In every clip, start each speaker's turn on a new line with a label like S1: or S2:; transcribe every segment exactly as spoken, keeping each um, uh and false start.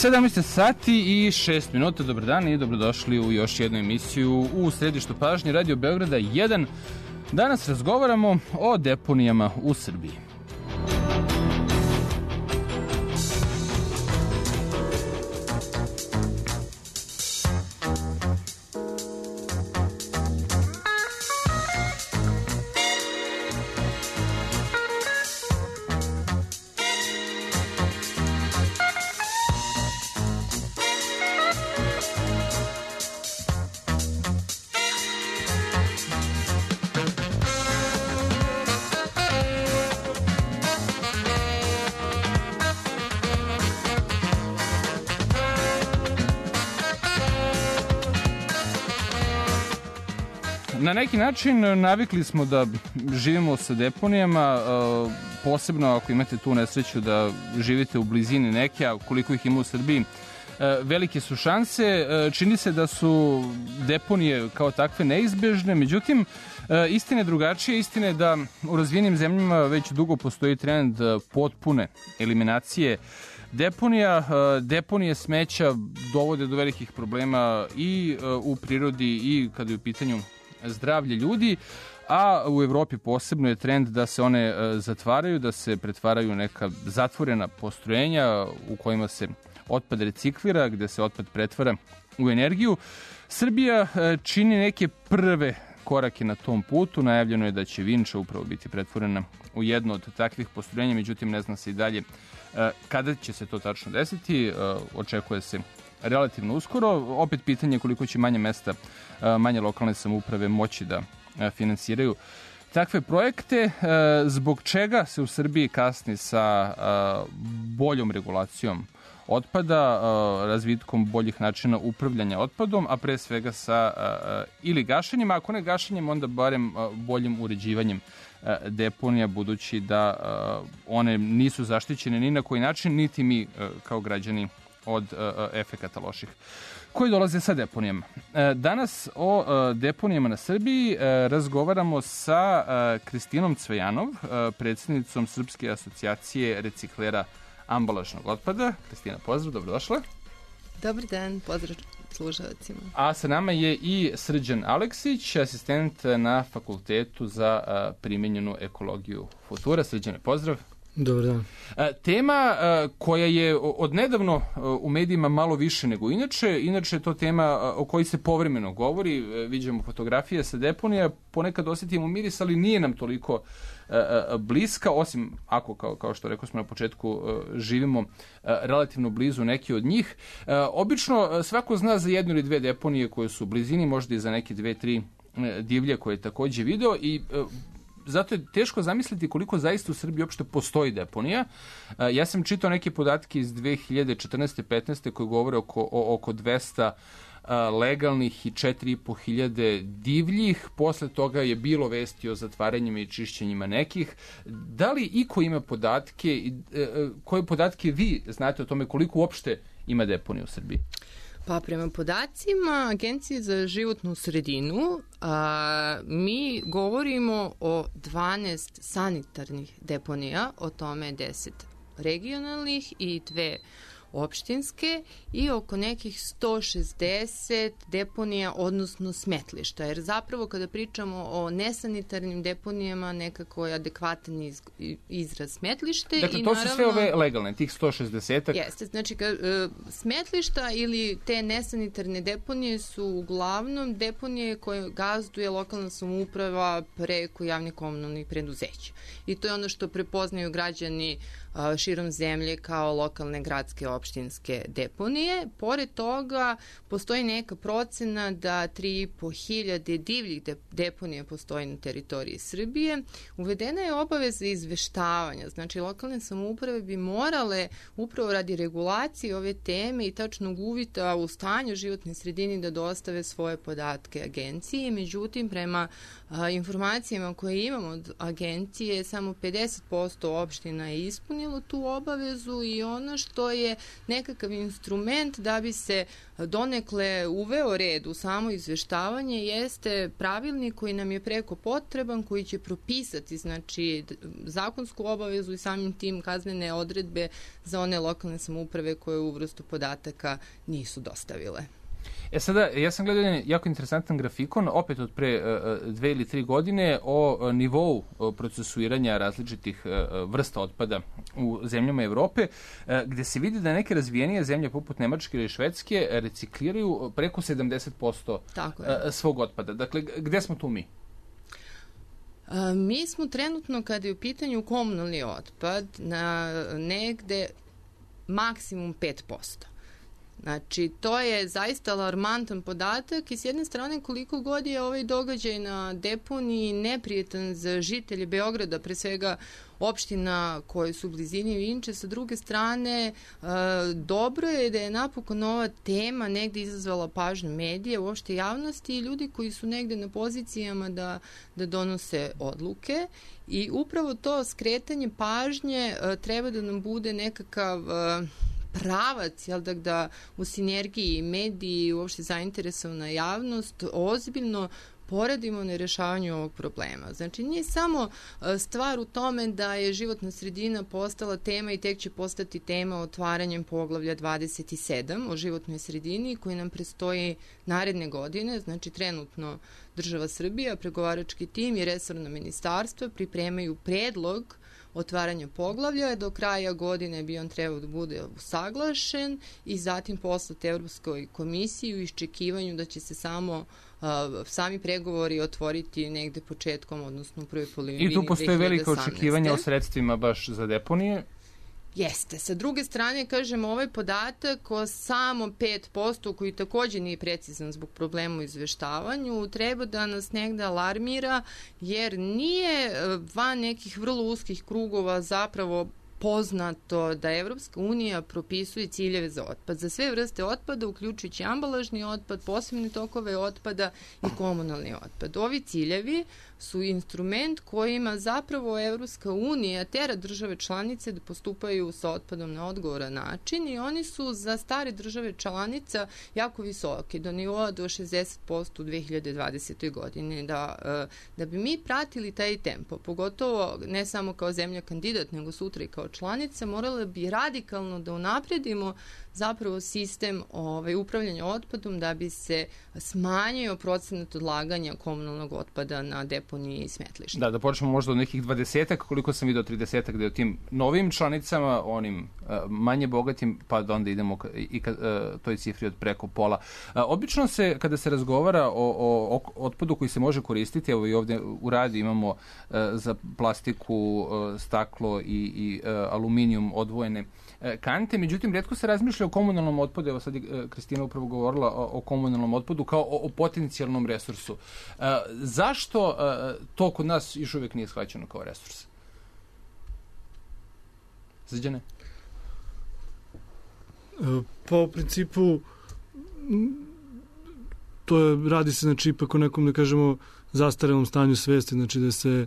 S1: sedamnaest sati i šest minuta, dobar dan i dobrodošli u još jednu emisiju u središtu pažnje Radio Beograda jedan. Danas razgovaramo o deponijama u Srbiji. Na neki način navikli smo da živimo sa deponijama, posebno ako imate tu nesreću da živite u blizini neke, a koliko ih ima u Srbiji, velike su šanse. Čini se da su deponije kao takve neizbežne, međutim, istina je drugačija. Istina je da u razvijenim zemljama već dugo postoji trend potpune eliminacije deponija. Deponije smeća dovode do velikih problema i u prirodi i kada je u pitanju zdravlje ljudi, a u Evropi posebno je trend da se one zatvaraju, da se pretvaraju neka zatvorena postrojenja u kojima se otpad reciklira, gde se otpad pretvara u energiju. Srbija čini neke prve korake na tom putu. Najavljeno je da će Vinča upravo biti pretvorena u jedno od takvih postrojenja, međutim ne zna se i dalje kada će se to tačno desiti. Očekuje se relativno uskoro. Opet pitanje koliko će manje mesta, manje lokalne samouprave moći da finansiraju takve projekte. Zbog čega se u Srbiji kasni sa boljom regulacijom otpada, razvitkom boljih načina upravljanja otpadom, a pre svega sa ili gašenjem, ako ne gašenjem, onda barem boljim uređivanjem deponija, budući da one nisu zaštićene ni na koji način, niti mi kao građani od efekata loših koji dolaze sa deponijama. Danas o deponijama na Srbiji razgovaramo sa Kristinom Cvejanov, predsjednicom Srpske asocijacije reciklera ambalažnog otpada. Kristina, pozdrav, dobrodošla.
S2: Dobar dan, pozdrav slušalcima. A
S1: sa nama je i Srđan Aleksić, asistent na Fakultetu za primenjenu ekologiju Futura. Srđane, pozdrav.
S3: Dobar dan.
S1: Tema koja je odnedavno u medijima malo više nego inače, inače je to tema o kojoj se povremeno govori, viđamo fotografije sa deponija, ponekad osjetimo miris, ali nije nam toliko bliska, osim ako, kao, kao što rekao smo na početku, živimo relativno blizu neke od njih. Obično svako zna za jednu ili dve deponije koje su u blizini, možda i za neke dve, tri divlje koje je takođe video i zato je teško zamisliti koliko zaista u Srbiji uopšte postoji deponija. Ja sam čitao neke podatke iz dve hiljade četrnaeste petnaeste koje govore oko, o, oko dvesta legalnih i četiri i po hiljade divljih. Posle toga je bilo vesti o zatvaranjima i čišćenjima nekih. Da li iko ima podatke, koje podatke vi znate o tome koliko uopšte ima deponija u Srbiji?
S2: Pa prema podacima Agencije za životnu sredinu a, mi govorimo o dvanaest sanitarnih deponija, o tome deset regionalnih i dve opštinske i oko nekih sto šezdeset deponija, odnosno smetlišta. Jer zapravo kada pričamo o nesanitarnim deponijama, nekako je adekvatan iz, izraz smetlište.
S1: Dakle,
S2: i
S1: to
S2: naravno,
S1: su sve ove legalne, tih sto šezdeset.
S2: Jeste, znači ka, e, smetlišta ili te nesanitarne deponije su uglavnom deponije koje gazduje lokalna samouprava preko javnih komunalnih preduzeća. I to je ono što prepoznaju građani a, širom zemlje kao lokalne gradske opštinske deponije. Pored toga, postoji neka procena da tri i po hiljade divljih deponija postoji na teritoriji Srbije. Uvedena je obaveza izveštavanja, znači lokalne samouprave bi morale upravo radi regulacije ove teme i tačnog uvida u stanju životne sredini da dostave svoje podatke agenciji. Međutim, prema a, informacijama koje imamo od agencije, samo pedeset posto opština je ispunilo tu obavezu i ono što je nekakav instrument da bi se donekle uveo red u samo izveštavanje jeste pravilnik koji nam je preko potreban, koji će propisati znači zakonsku obavezu i samim tim kaznene odredbe za one lokalne samouprave koje u vrstu podataka nisu dostavile.
S1: E sada, ja sam gledao jedan jako interesantan grafikon, opet od pre uh, dve ili tri godine, o uh, nivou uh, procesuiranja različitih uh, vrsta otpada u zemljama Evrope, uh, gde se vidi da neke razvijenije zemlje poput Nemačke ili Švedske recikliraju preko sedamdeset posto uh, svog otpada. Dakle, gde smo tu mi?
S2: Uh, mi smo trenutno, kada je u pitanju komunalni otpad, na negde maksimum pet posto. Znači, to je zaista alarmantan podatak i s jedne strane koliko god je ovaj događaj na deponiji neprijetan za žitelje Beograda, pre svega opština koje su u blizini Vinče, sa druge strane e, dobro je da je napokon ova tema negde izazvala pažnju medija, uopšte javnosti i ljudi koji su negde na pozicijama da, da donose odluke i upravo to skretanje pažnje e, treba da nam bude nekakav e, pravac, jel da, da u sinergiji mediji i uopšte zainteresovana javnost ozbiljno poradimo na rešavanju ovog problema. Znači, nije samo stvar u tome da je životna sredina postala tema i tek će postati tema otvaranjem poglavlja dvadeset sedam o životnoj sredini koji nam prestoji naredne godine. Znači, trenutno država Srbija, pregovarački tim i resorna ministarstva pripremaju predlog otvaranja poglavlja. Do kraja godine bi on trebao da bude usaglašen i zatim poslat Evropskoj komisiji u iščekivanju da će se samo uh, sami pregovori otvoriti negde početkom, odnosno u prvoj polovini
S1: I tu postoje velika očekivanja o sredstvima baš za deponije.
S2: Jeste. Sa druge strane, kažem, ovaj podatak o samo pet posto, koji takođe nije precizan zbog problema u izveštavanju, treba da nas negde alarmira, jer nije van nekih vrlo uskih krugova zapravo poznato da Evropska unija propisuje ciljeve za otpad. Za sve vrste otpada, uključujući ambalažni otpad, posebne tokove otpada i komunalni otpad. Ovi ciljevi su instrument kojima zapravo Evropska unija tera države članice da postupaju sa otpadom na odgovoran način i oni su za stare države članica jako visoki, do nivoa do šezdeset posto u dve hiljade dvadesetoj godini. Da, da bi mi pratili taj tempo, pogotovo ne samo kao zemlja kandidat, nego sutra i kao članica, morala bi radikalno da unapredimo zapravo sistem ovaj, upravljanja otpadom da bi se smanjio procenat odlaganja komunalnog otpada na deponiji i smetlišta.
S1: Da, da počnemo možda od nekih dvadesetak, koliko sam vidio tridesetak, da je o tim novim članicama, onim uh, manje bogatim, pa da onda idemo ka, i ka uh, toj cifri od preko pola. Uh, obično se, kada se razgovara o, o, o otpadu koji se može koristiti, evo i ovde u radi imamo uh, za plastiku, uh, staklo i, i uh, aluminijum odvojene uh, kante, međutim, retko se razmišlja o komunalnom otpadu, evo sad je uh, Kristina upravo govorila o, o komunalnom otpadu kao o, o potencijalnom resursu. Uh, zašto uh, to kod nas još uvijek nije shvaćeno kao resurs? Srđane?
S3: Pa u principu to je, radi se znači ipak o nekom, da kažemo, zastarelom stanju svesti, znači da se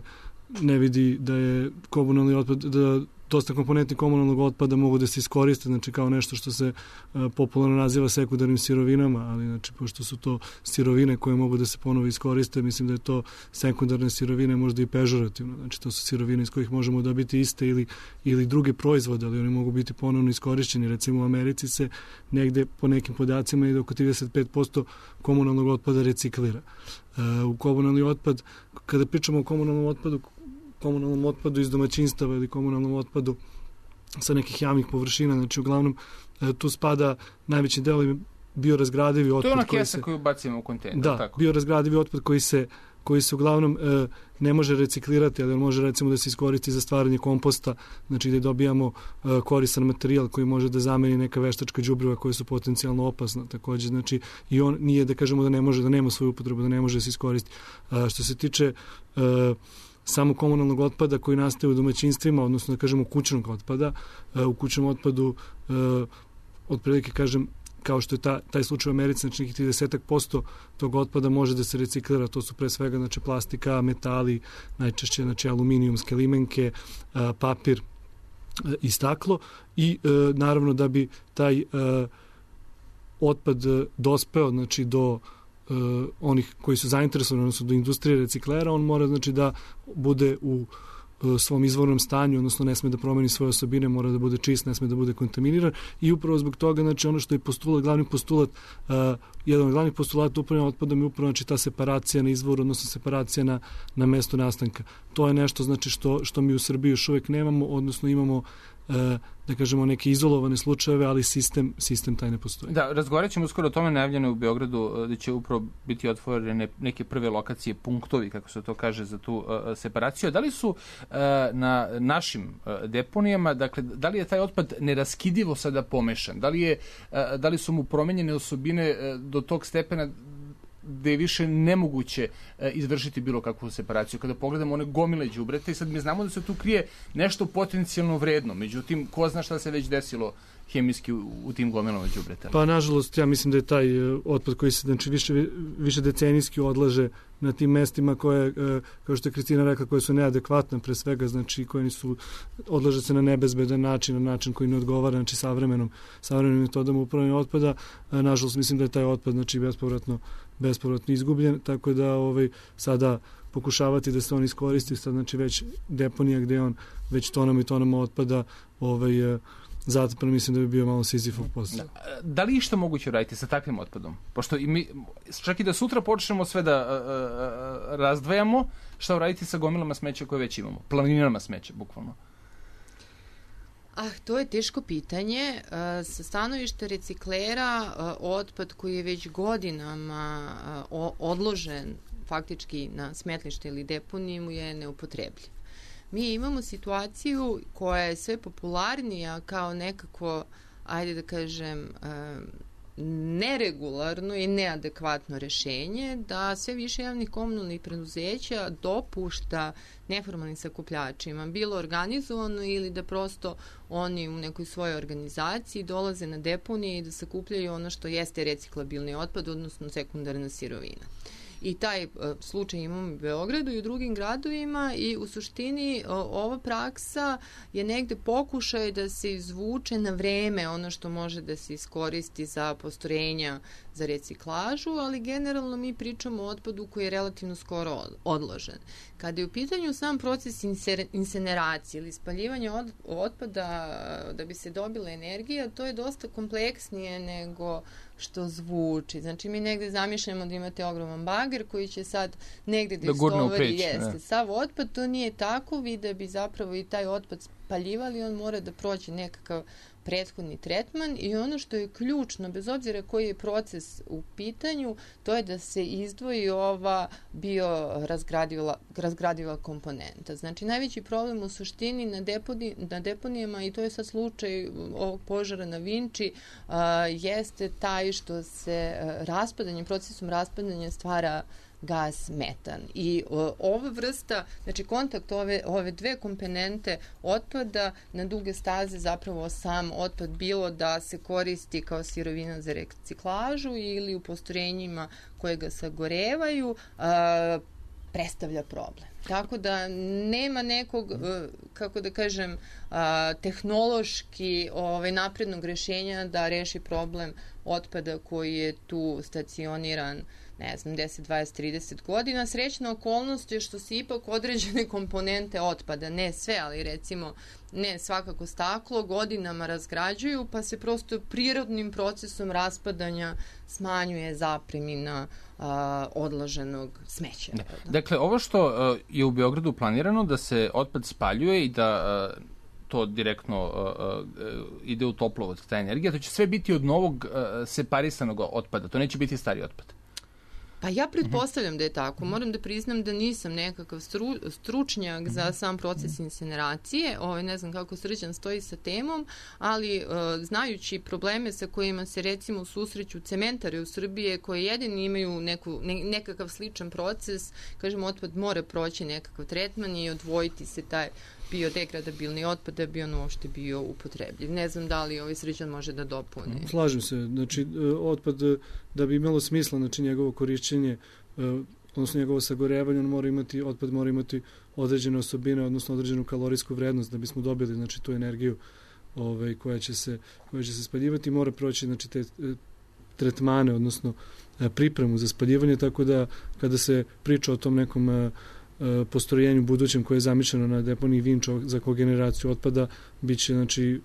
S3: ne vidi da je komunalni otpad, da dosta komponenti komunalnog otpada mogu da se iskoriste, znači kao nešto što se uh, popularno naziva sekundarnim sirovinama, ali znači pošto su to sirovine koje mogu da se ponovo iskoriste, mislim da je to sekundarne sirovine možda i pežorativno, znači to su sirovine iz kojih možemo dobiti iste ili, ili druge proizvode, ali oni mogu biti ponovno iskorišćeni. Recimo u Americi se negde po nekim podacima ide oko trideset pet posto komunalnog otpada reciklira. Uh, u komunalni otpad, kada pričamo o komunalnom otpadu, komunalnom otpadu iz domaćinstava ili komunalnom otpadu sa nekih javnih površina, znači uglavnom tu spada najveći deo biorazgradivi otpad.
S1: To je ona
S3: koji
S1: kesa
S3: se,
S1: koju bacimo u kontejner.
S3: Da,
S1: tako?
S3: biorazgradivi otpad koji se koji se uglavnom e, ne može reciklirati, ali može recimo da se iskoristi za stvaranje komposta, znači gde dobijamo e, koristan materijal koji može da zameni neka veštačka đubriva koja su potencijalno opasna. Takođe, znači i on nije da kažemo da ne može, da nema svoju upotrebu, da ne može da se iskoristi. A, što se tiče e, samo komunalnog otpada koji nastaje u domaćinstvima, odnosno da kažemo kućnog otpada, e, u kućnom otpadu e, otprilike kažem kao što je ta, taj slučaj u Americi, znači nekih trideset posto tog otpada može da se reciklira, to su pre svega znači plastika, metali, najčešće znači aluminijumske limenke, a, papir, i staklo i naravno da bi taj otpad dospeo znači do onih koji su zainteresovani, odnosno do industrije reciklera, on mora znači da bude u svom izvornom stanju, odnosno ne sme da promeni svoje osobine, mora da bude čist, ne sme da bude kontaminiran i upravo zbog toga, znači ono što je postulat, glavni postulat, uh, jedan od glavnih postulata upravljanja otpadom je upravo znači ta separacija na izvoru, odnosno separacija na, na mesto nastanka. To je nešto znači što, što mi u Srbiji još uvek nemamo, odnosno imamo uh, da kažemo neke izolovane slučajeve, ali sistem, sistem taj ne postoji.
S1: Da, razgovarat ćemo uskoro o tome, najavljeno u Beogradu da će upravo biti otvorene neke prve lokacije, punktovi, kako se to kaže, za tu uh, separaciju. Da li su uh, na našim uh, deponijama, dakle, da li je taj otpad neraskidivo sada pomešan? Da li, je, uh, da li su mu promenjene osobine uh, do tog stepena gde je više nemoguće e, izvršiti bilo kakvu separaciju. Kada pogledamo one gomile đubreta i sad mi znamo da se tu krije nešto potencijalno vredno, međutim, ko zna šta se već desilo hemijski u, u tim gomilama đubreta?
S3: Pa, nažalost, ja mislim da je taj otpad koji se znači, više, više decenijski odlaže na tim mestima koje, kao što je Kristina rekla, koje su neadekvatne pre svega, znači koje nisu, odlaže se na nebezbedan način, na način koji ne odgovara, znači savremenom, savremenim metodama upravljanja otpada. Nažalost, mislim da je taj otpad, znači, bespovratno, bespovratno izgubljen, tako da ovaj, sada pokušavati da se on iskoristi, sad, znači, već deponija gde on već tonama i tonama otpada ovaj, zato pa mislim da bi bio malo Sizifov posao.
S1: Da, da li išta moguće raditi sa takvim otpadom? Pošto i mi, čak i da sutra počnemo sve da a, a, razdvajamo, šta uraditi sa gomilama smeća koje već imamo? Planinama smeća, bukvalno.
S2: Ah, to je teško pitanje. Sa stanovišta reciklera, otpad koji je već godinama odložen faktički na smetlište ili deponiju je neupotrebljiv. Mi imamo situaciju koja je sve popularnija kao nekako, ajde da kažem, neregularno i neadekvatno rešenje, da sve više javnih komunalnih preduzeća dopušta neformalnim sakupljačima, bilo organizovano ili da prosto oni u nekoj svojoj organizaciji dolaze na deponije i da sakupljaju ono što jeste reciklabilni otpad, odnosno sekundarna sirovina. I taj uh, slučaj imamo u Beogradu i u drugim gradovima i u suštini uh, ova praksa je negde pokušaj da se izvuče na vreme ono što može da se iskoristi za postrojenja za reciklažu, ali generalno mi pričamo o otpadu koji je relativno skoro odložen. Kada je u pitanju sam proces inseneracije ili spaljivanja od, otpada da bi se dobila energija, to je dosta kompleksnije nego što zvuči. Znači, mi negde zamišljamo da imate ogroman bager koji će sad negde da, da istovari jeste sav otpad. To nije tako. Vi da bi zapravo i taj otpad spaljivali, on mora da prođe nekakav prethodni tretman i ono što je ključno, bez obzira koji je proces u pitanju, to je da se izdvoji ova biorazgradiva razgradiva komponenta. Znači, najveći problem u suštini na, deponi, na deponijama, i to je sad slučaj ovog požara na Vinči, a, jeste taj što se raspadanjem, procesom raspadanja stvara gas metan. I o, ova vrsta, znači kontakt ove, ove dve komponente otpada na duge staze zapravo sam otpad bilo da se koristi kao sirovina za reciklažu ili u postrojenjima koje ga sagorevaju, a, predstavlja problem. Tako da nema nekog, kako da kažem, tehnološki ovaj, naprednog rešenja da reši problem otpada koji je tu stacioniran, ne znam, deset, dvadeset, trideset godina. Srećna okolnost je što se ipak određene komponente otpada, ne sve, ali recimo ne svakako staklo, godinama razgrađuju, pa se prosto prirodnim procesom raspadanja smanjuje zapremina a, odloženog smeća.
S1: Da. Dakle, ovo što a, je u Beogradu planirano da se otpad spaljuje i da a, to direktno a, a, ide u toplovod, ta energija, to će sve biti od novog a, separisanog otpada, to neće biti stari otpad.
S2: Pa ja pretpostavljam da je tako. Moram da priznam da nisam nekakav stru, stručnjak za sam proces inseneracije. Ovo, ne znam kako Srđan stoji sa temom, ali uh, znajući probleme sa kojima se recimo susreću cementare u Srbiji koje jedini imaju neku, ne, nekakav sličan proces, kažem, otpad mora proći nekakav tretman i odvojiti se taj biodegradabilni otpad da bi on uopšte bio upotrebljiv. Ne znam da li ovaj Srđan može da dopuni.
S3: Slažem se. Znači, otpad da bi imalo smisla, znači njegovo korišćenje, odnosno njegovo sagorevanje, on mora imati, otpad mora imati određene osobine, odnosno određenu kalorijsku vrednost da bismo dobili znači tu energiju ovaj, koja će se koja će se spaljivati, mora proći znači te tretmane, odnosno pripremu za spaljivanje, tako da kada se priča o tom nekom postrojenju budućem koje je zamišljeno na deponiji Vinča za kogeneraciju otpada, bit će, znači,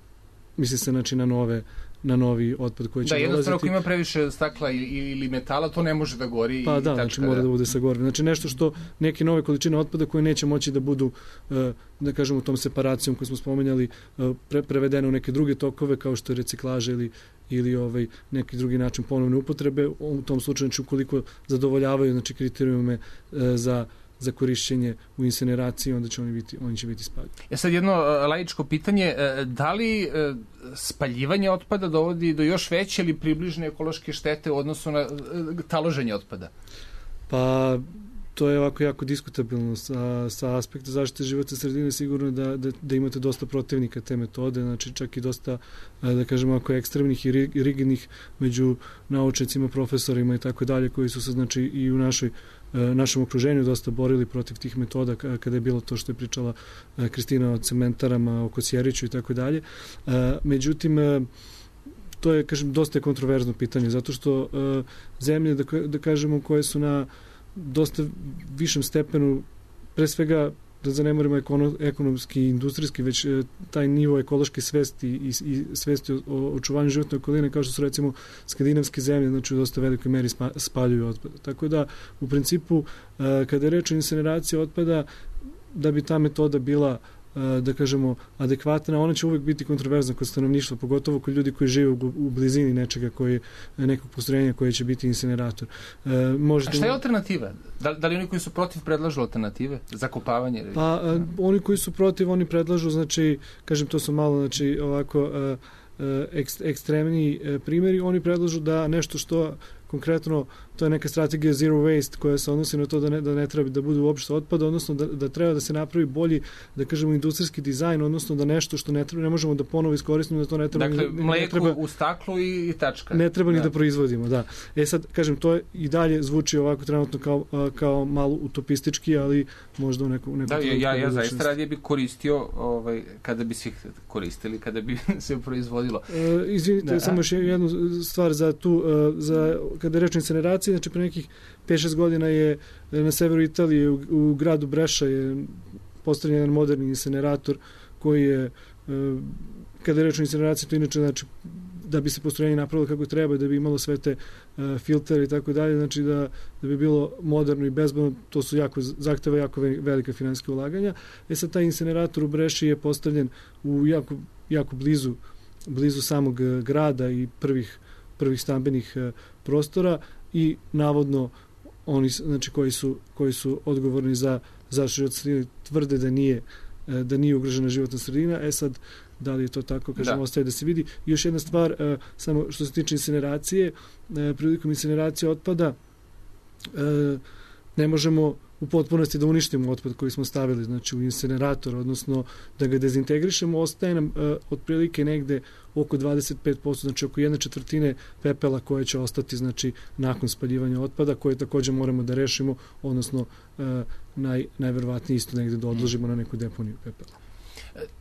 S3: misli se znači, na nove na novi otpad koji će
S1: da,
S3: dolaziti. Da,
S1: jednostavno ako ima previše stakla ili metala, to ne može da gori.
S3: Pa
S1: i
S3: da,
S1: tačka,
S3: znači mora da bude sagoreno. Znači nešto što neke nove količine otpada koje neće moći da budu, da kažemo, tom separacijom koju smo spomenjali, pre, prevedene u neke druge tokove kao što je reciklaža ili ili ovaj neki drugi način ponovne upotrebe, u tom slučaju znači ukoliko zadovoljavaju znači kriterijume za za korišćenje u incineraciji, onda će oni biti, oni će biti spaljeni.
S1: E sad jedno laičko pitanje, da li spaljivanje otpada dovodi do još veće ili približne ekološke štete u odnosu na taloženje otpada?
S3: Pa to je ovako jako diskutabilno sa, sa aspekta zaštite životne sredine, sigurno da, da, da imate dosta protivnika te metode, znači čak i dosta, da kažemo, ako ekstremnih i rigidnih među naučnicima, profesorima i tako dalje, koji su se znači i u našoj našem okruženju dosta borili protiv tih metoda kada je bilo to što je pričala Kristina o cementarama, o Kosjeriću i tako dalje. Međutim, to je, kažem, dosta kontroverzno pitanje, zato što zemlje, da, da kažemo, koje su na dosta višem stepenu, pre svega da zanemarimo ekono, ekonomski i industrijski, već e, taj nivo ekološke svesti i, i svesti o, o očuvanju životne okoline, kao što su recimo skandinavske zemlje, znači u dosta velikoj meri spa, spaljuju otpad. Tako da, u principu, e, kada je reč o incineraciji otpada, da bi ta metoda bila da kažemo adekvatna, ona će uvek biti kontroverzna kod stanovništva, pogotovo kod ljudi koji žive u, u blizini nečega, koji, nekog postrojenja koje će biti incinerator. E, možete... A
S1: šta je alternativa? Da, da li oni koji su protiv predlažu alternative? Zakopavanje?
S3: Pa a, oni koji su protiv, oni predlažu, znači, kažem, to su malo, znači, ovako a, a, ekst, ekstremni a, primjeri, oni predlažu da nešto što konkretno, to je neka strategija zero waste koja se odnosi na to da ne, da ne treba da bude uopšte otpada, odnosno da, da treba da se napravi bolji, da kažemo, industrijski dizajn, odnosno da nešto što ne treba, ne možemo da ponovo iskoristimo, da to ne treba...
S1: Dakle,
S3: ne,
S1: mleku
S3: ne treba,
S1: u staklu i, i tačka.
S3: Ne treba
S1: da.
S3: ni da proizvodimo, da. E sad, kažem, to je, i dalje zvuči ovako trenutno kao, kao malo utopistički, ali možda u neku... neku
S1: da, ja, ja, ja zaista radije bi koristio, ovaj, kada bi svi koristili, kada bi se proizvodilo.
S3: E, izvinite, da, samo još jednu stvar za tu, za kada je reč o incineraciji, znači pre nekih pet šest godina je na severu Italije u, u gradu Breša je postavljen jedan moderni incinerator koji je, kada je reč o incineraciji, to inače znači da bi se postrojenje napravilo kako treba, da bi imalo sve te uh, filtere i tako dalje, znači da, da bi bilo moderno i bezbedno, to su jako, zahteva jako velika finansijska ulaganja. E sad, taj incinerator u Breši je postavljen u jako, jako blizu, blizu samog grada i prvih prvih stambenih uh, prostora i navodno oni znači koji su koji su odgovorni za zaštitu životne sredine tvrde da nije uh, da nije ugrožena životna sredina. E sad, da li je to tako, kažemo, da. Ostaje da se vidi. I još jedna stvar, uh, samo što se tiče incineracije, uh, prilikom incineracije otpada uh, ne možemo u potpunosti da uništimo otpad koji smo stavili, znači u incinerator, odnosno da ga dezintegrišemo, ostaje nam uh, otprilike negde oko dvadeset pet posto, znači oko jedne četvrtine pepela koje će ostati, znači, nakon spaljivanja otpada, koje takođe moramo da rešimo, odnosno uh, naj, najverovatnije isto negde da odložimo na neku deponiju pepela.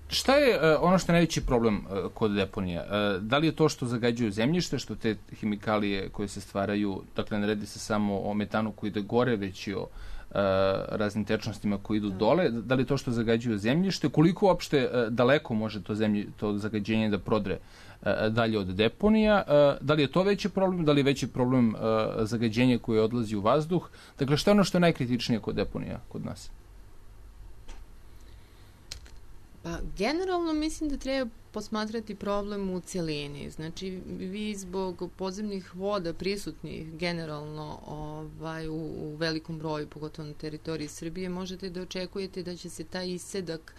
S1: Šta je uh, ono što je najveći problem uh, kod deponija? Uh, da li je to što zagađuju zemljište, što te hemikalije koje se stvaraju, dakle ne radi se samo o metanu koji ide gore, već i o uh, raznim tečnostima koji idu dole, da li je to što zagađuju zemljište, koliko uopšte uh, daleko može to, zemlji, to zagađenje da prodre uh, dalje od deponija, uh, da li je to veći problem, da li je veći problem uh, zagađenje koje odlazi u vazduh, dakle šta je ono što je najkritičnije kod deponija kod nas?
S2: Pa, generalno mislim da treba posmatrati problem u cijelini. Znači, vi zbog podzemnih voda prisutnih generalno ovaj, u, u velikom broju, pogotovo na teritoriji Srbije, možete da očekujete da će se taj isedak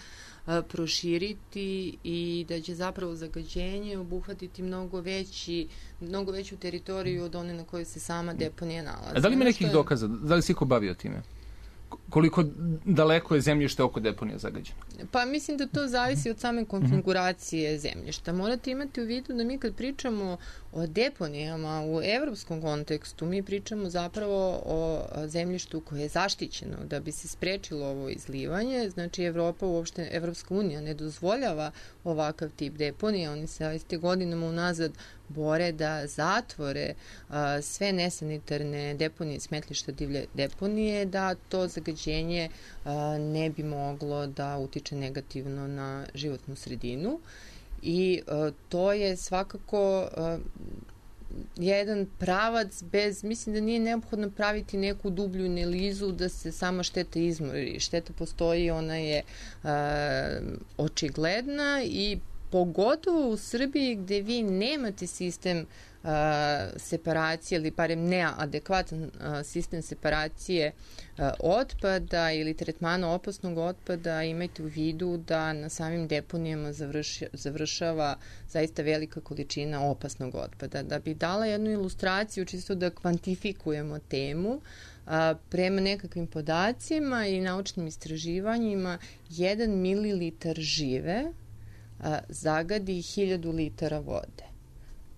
S2: a, proširiti i da će zapravo zagađenje obuhvatiti mnogo veći, mnogo veću teritoriju od one na kojoj se sama deponija nalazi.
S1: A da li ima nekih dokaza? Da li se iko bavio time? koliko daleko je zemljište oko deponija zagađeno?
S2: Pa mislim da to zavisi od same konfiguracije zemljišta. Morate imati u vidu da mi kad pričamo o deponijama u evropskom kontekstu, mi pričamo zapravo o zemljištu koje je zaštićeno da bi se sprečilo ovo izlivanje. Znači Evropa, uopšte Evropska unija ne dozvoljava ovakav tip deponija. Oni se este godinama unazad bore da zatvore a, sve nesanitarne deponije, smetlišta, divlje deponije, da to zagađenje a, ne bi moglo da utiče negativno na životnu sredinu. I a, to je svakako a, jedan pravac bez, mislim da nije neophodno praviti neku dublju analizu da se sama šteta izmori. Šteta postoji, ona je a, očigledna i pogotovo u Srbiji gde vi nemate sistem uh, separacije ili barem neadekvatan uh, sistem separacije uh, otpada ili tretmana opasnog otpada, imajte u vidu da na samim deponijama završi, završava zaista velika količina opasnog otpada. Da bi dala jednu ilustraciju, čisto da kvantifikujemo temu, uh, prema nekakvim podacima i naučnim istraživanjima, jedan mililitar žive a, zagadi hiljadu litara vode.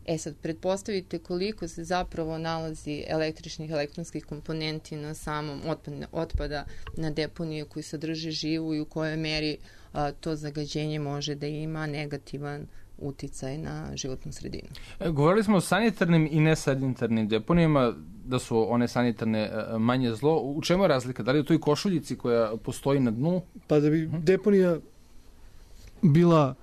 S2: E sad, pretpostavite koliko se zapravo nalazi električnih, elektronskih komponenti na samom otpadne, otpada na deponije koji sadrže živu i u kojoj meri a, to zagađenje može da ima negativan uticaj na životnu sredinu.
S1: E, govorili smo o sanitarnim i nesanitarnim deponijama, da su one sanitarne manje zlo. U čemu je razlika? Da li je to i košuljici koja postoji na dnu?
S3: Pa da bi deponija bila,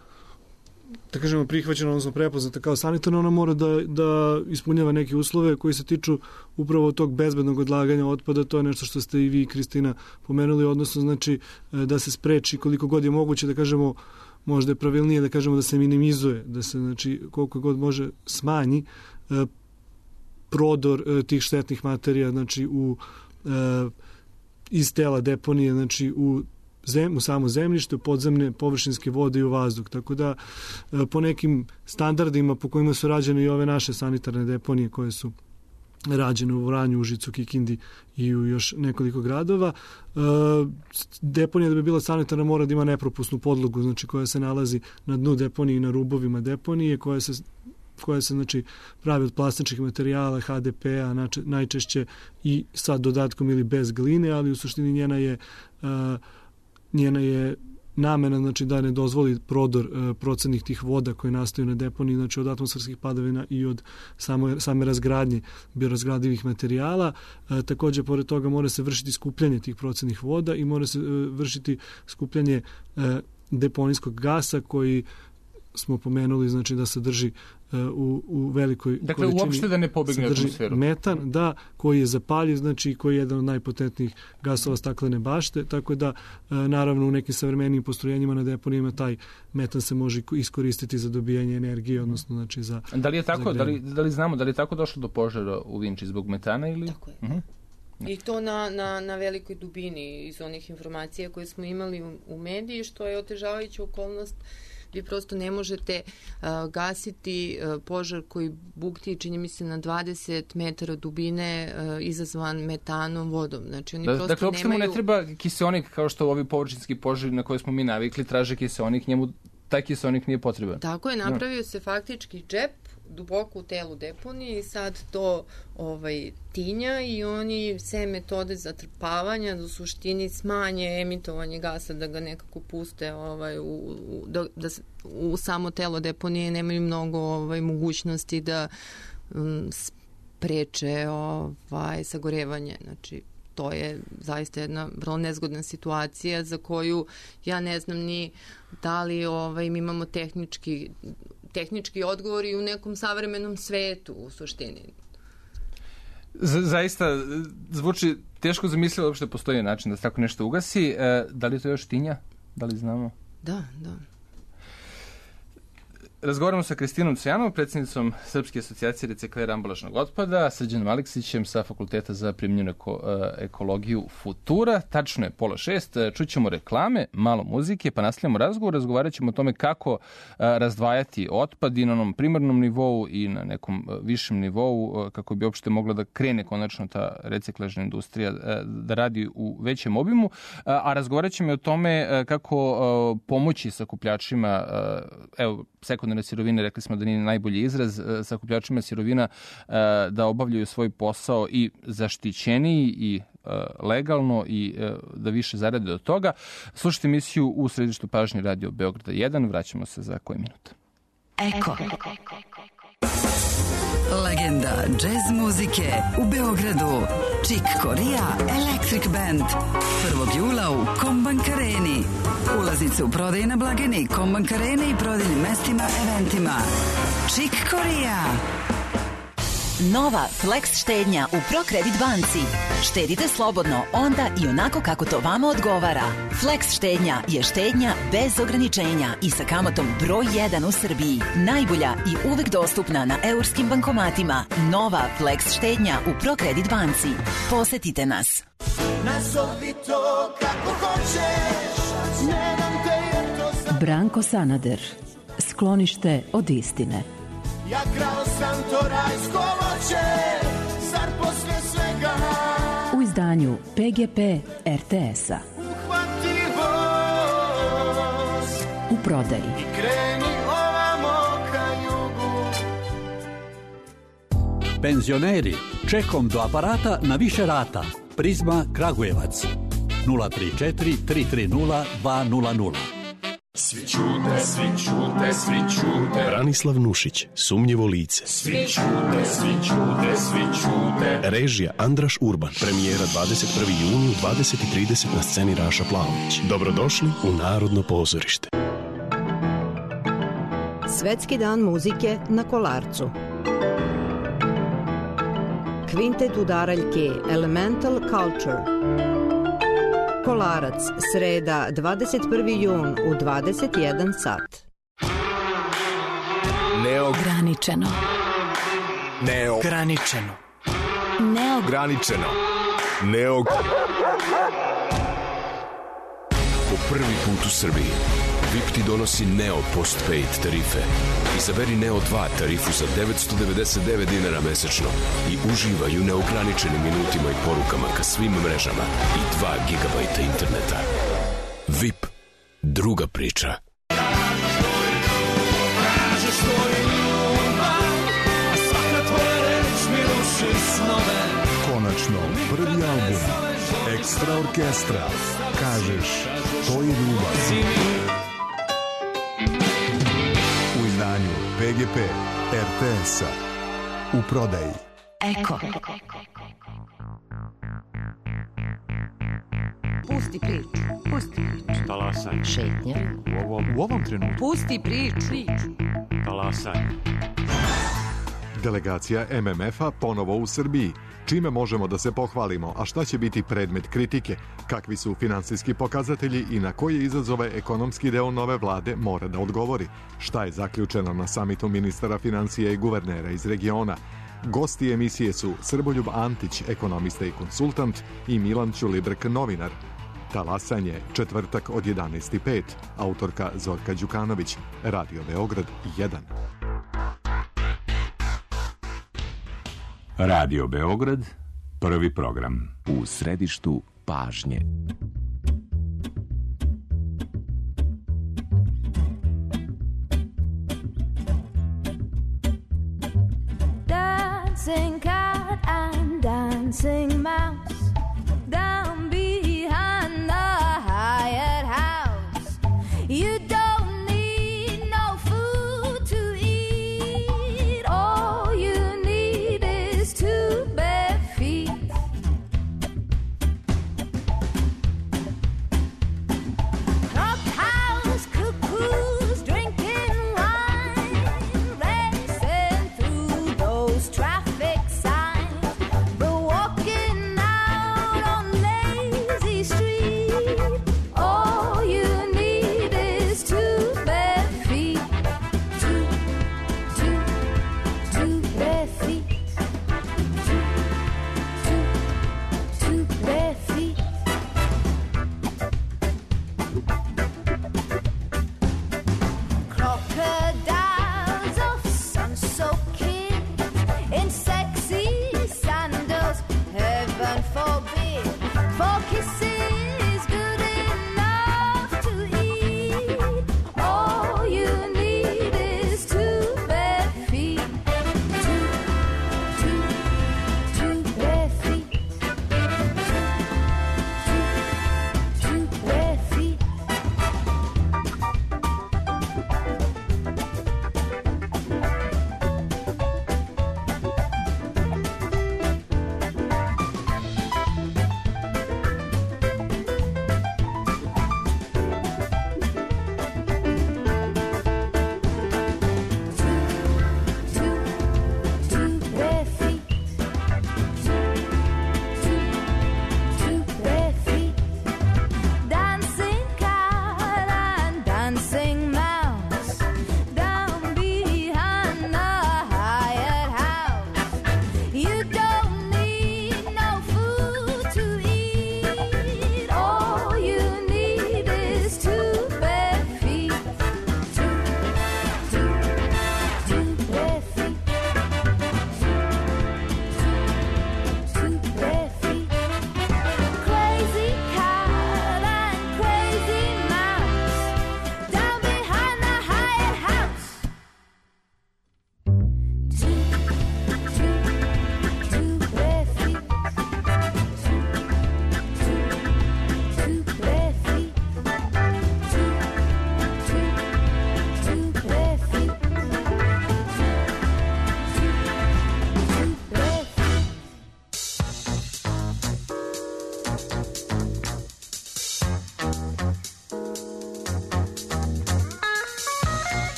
S3: da kažemo, prihvaćena, odnosno prepoznata kao sanitarna, ona mora da, da ispunjava neke uslove koji se tiču upravo tog bezbednog odlaganja otpada. To je nešto što ste i vi, Kristina, pomenuli, odnosno znači da se spreči koliko god je moguće, da kažemo, možda je pravilnije da kažemo da se minimizuje, da se znači koliko god može smanji e, prodor e, tih štetnih materija, znači u e, iz tela deponije, znači u Zem, u samo zemljište, u podzemne površinske vode i u vazduh. Tako da e, po nekim standardima po kojima su rađene i ove naše sanitarne deponije koje su rađene u Vranju, Užicu, Kikindi i u još nekoliko gradova, e, deponija da bi bila sanitarna mora da ima nepropusnu podlogu, znači koja se nalazi na dnu deponije i na rubovima deponije, koja se koja se znači pravi od plastičnih materijala, ha de pe-a najčešće i sa dodatkom ili bez gline, ali u suštini njena je uh, njena je namena, znači da ne dozvoli prodor uh, procennih tih voda koje nastaju na deponiji, znači od atmosferskih padavina i od samo, same razgradnje biorazgradivih materijala. Uh, takođe, pored toga mora se vršiti skupljanje tih procennih voda i mora se uh, vršiti skupljanje uh, deponijskog gasa koji smo pomenuli, znači da sadrži uh, u, u velikoj
S1: dakle,
S3: količini. Dakle,
S1: uopšte da ne pobegne atmosferu.
S3: Metan, da, koji je zapaljiv, znači koji je jedan od najpotentnijih gasova staklene bašte, tako da, uh, naravno, u nekim savremenim postrojenjima na deponijima taj metan se može iskoristiti za dobijanje energije, odnosno, znači, za...
S1: Da li je tako, da li, da li znamo, da li je tako došlo do požara u Vinči zbog metana ili...
S2: Tako je. Uh-huh. I to na, na, na velikoj dubini iz onih informacija koje smo imali u, u mediji, što je otežavajuća okolnost. Vi prosto ne možete uh, gasiti uh, požar koji bukti, čini mi se, na dvadeset metara dubine uh, izazvan metanom vodom. Znači, oni
S1: da,
S2: prosto
S1: dakle, uopšte
S2: nemaju...
S1: mu ne treba kiseonik, kao što ovi površinski požari na koje smo mi navikli, traže kiseonik, njemu taj kiseonik nije potreban.
S2: Tako je, napravio no. se faktički džep duboko u telu deponije i sad to ovaj, tinja i oni sve metode zatrpavanja u suštini smanje emitovanje gasa da ga nekako puste ovaj, u, u, da, da u samo telo deponije nemaju mnogo ovaj, mogućnosti da um, spreče ovaj, sagorevanje. Znači, to je zaista jedna vrlo nezgodna situacija za koju ja ne znam ni da li ovaj, mi imamo tehnički tehnički odgovori u nekom savremenom svetu u suštini.
S1: Z- zaista zvuči teško zamisliti da uopšte postoji način da se tako nešto ugasi. E, da li to još tinja? Da li znamo?
S2: Da, da.
S1: Razgovaramo sa Kristinom Cvijanovom, predsjednicom Srpske asocijacije reciklera ambalažnog otpada, Srđanom Aleksićem sa Fakulteta za primjenjenu eko, ekologiju Futura. Tačno je pola šest, čućemo reklame, malo muzike, pa nastavljamo razgovor. Razgovarat ćemo o tome kako razdvajati otpad i na onom primarnom nivou i na nekom višem nivou, kako bi uopšte mogla da krene konačno ta reciklažna industrija da radi u većem obimu. A razgovarat ćemo o tome kako pomoći sakupljačima, evo, sekundarne sirovine, rekli smo da nije najbolji izraz, sakupljačima sirovina da obavljaju svoj posao i zaštićeniji i legalno i da više zarade od toga. Slušajte emisiju U središtu pažnje Radio Beograda jedan. Vraćamo se za koji minut.
S4: Eko. Legenda džez muzike u Beogradu. Chick Corea Electric Band. prvog jula u Kombank Areni. Ulaznice u prodaji na blagajni Kombank Arene i prodajnim mestima, eventima. Chick Corea.
S5: Nova Flex štednja u ProCredit banci. Štedite slobodno onda i onako kako to vama odgovara. Flex štednja je štednja bez ograničenja i sa kamatom broj jedan u Srbiji. Najbolja i uvek dostupna na eurskim bankomatima. Nova Flex štednja u ProCredit banci. Posetite nas.
S6: Nazovi to kako hoćeš, ne nam te jer to sam...
S7: Branko Sanader. Sklonište od istine.
S6: Ja krao sam to rajsko voće, zar posle svega
S7: u izdanju P G P R T S-a.
S6: Uhvati voz
S7: u prodaji
S6: i kreni ovamo ka jugu.
S8: Penzioneri, čekom do aparata na više rata. Prizma Kragujevac nula tri četiri tri tri nula dva nula nula.
S9: Svi čute, svi čute, svi čute.
S10: Branislav Nušić, Sumnjivo lice.
S9: Svi čute, svi čute, svi čute.
S10: Režija Andraš Urban. Premijera dvadeset prvog juna u dvadeset i trideset na sceni Raša Plavović. Dobrodošli u Narodno pozorište.
S11: Svetski dan muzike na Kolarcu. Kvintet udaraljke Elemental Culture. Kolarac, sreda, dvadeset prvi jun u dvadeset jedan sat.
S12: Neograničeno.
S13: Neograničeno.
S12: Neograničeno.
S13: Neog... Po prvi put u Srbiji V I P ti donosi Neo Postpaid tarife. Izaberi Neo dva tarifu za devetsto devedeset devet dinara mesečno i uživaj u neograničenim minutima i porukama ka svim mrežama i dva gigabajta interneta. V I P. Druga priča.
S14: Konačno, prvi album Ekstra orkestra. Kažeš, to je ljubav. U izdanju P G P R T S-a. U prodaji.
S4: Eko.
S15: Pusti priču. Pusti priču.
S16: Talasanje.
S15: Šetnja.
S16: U ovom, u ovom trenutku.
S15: Pusti priču.
S16: Talasanje.
S14: Delegacija M M F-a ponovo u Srbiji. Čime možemo da se pohvalimo, a šta će biti predmet kritike? Kakvi su finansijski pokazatelji i na koje izazove ekonomski deo nove vlade mora da odgovori? Šta je zaključeno na samitu ministara financija i guvernera iz regiona? Gosti emisije su Srboljub Antić, ekonomista i konsultant, i Milan Ćulibrk, novinar. Talasanje, četvrtak od jedanaest i pet. Autorka Zorka Đukanović. Radio Beograd jedan.
S17: Radio Beograd, prvi program. U središtu pažnje.
S18: Dancing cat and dancing mouse down behind the Hyatt house. You don't need no food to eat. All you need is two bare feet. Clubhouse cuckoos drinking wine, racing through those traffic signs. But walking out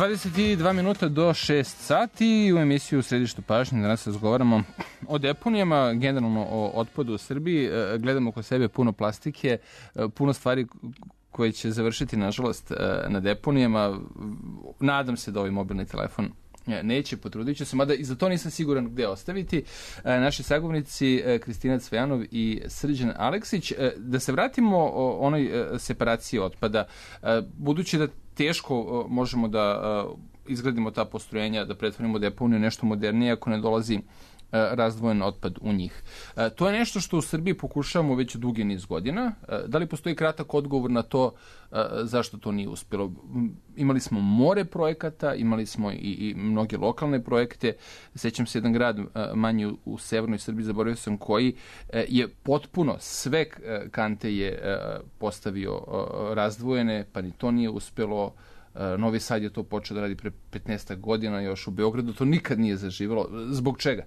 S1: dvadeset dva minuta do šest sati u emisiju u Središtu pažnje. Danas razgovaramo o deponijama, generalno o otpadu u Srbiji. Gledamo oko sebe puno plastike, puno stvari koje će završiti, nažalost, na deponijama. Nadam se da ovaj mobilni telefon neće, potrudit ću se, mada i za to nisam siguran gde ostaviti. Naši sagovornici Kristina Cvejanov i Srđan Aleksić. Da se vratimo o onoj separaciji otpada, budući da teško možemo da izgradimo ta postrojenja, da pretvorimo deponiju nešto modernije ako ne dolazi razdvojen otpad u njih. To je nešto što u Srbiji pokušavamo već dugi niz godina. Da li postoji kratak odgovor na to zašto to nije uspjelo? Imali smo more projekata, imali smo i, i mnoge lokalne projekte. Sećam se jedan grad manji u, u severnoj Srbiji, zaboravio sam koji, je potpuno sve kante je postavio razdvojene, pa ni to nije uspjelo. Novi Sad je to počeo da radi pre petnaest godina, još u Beogradu to nikad nije zaživelo. Zbog čega?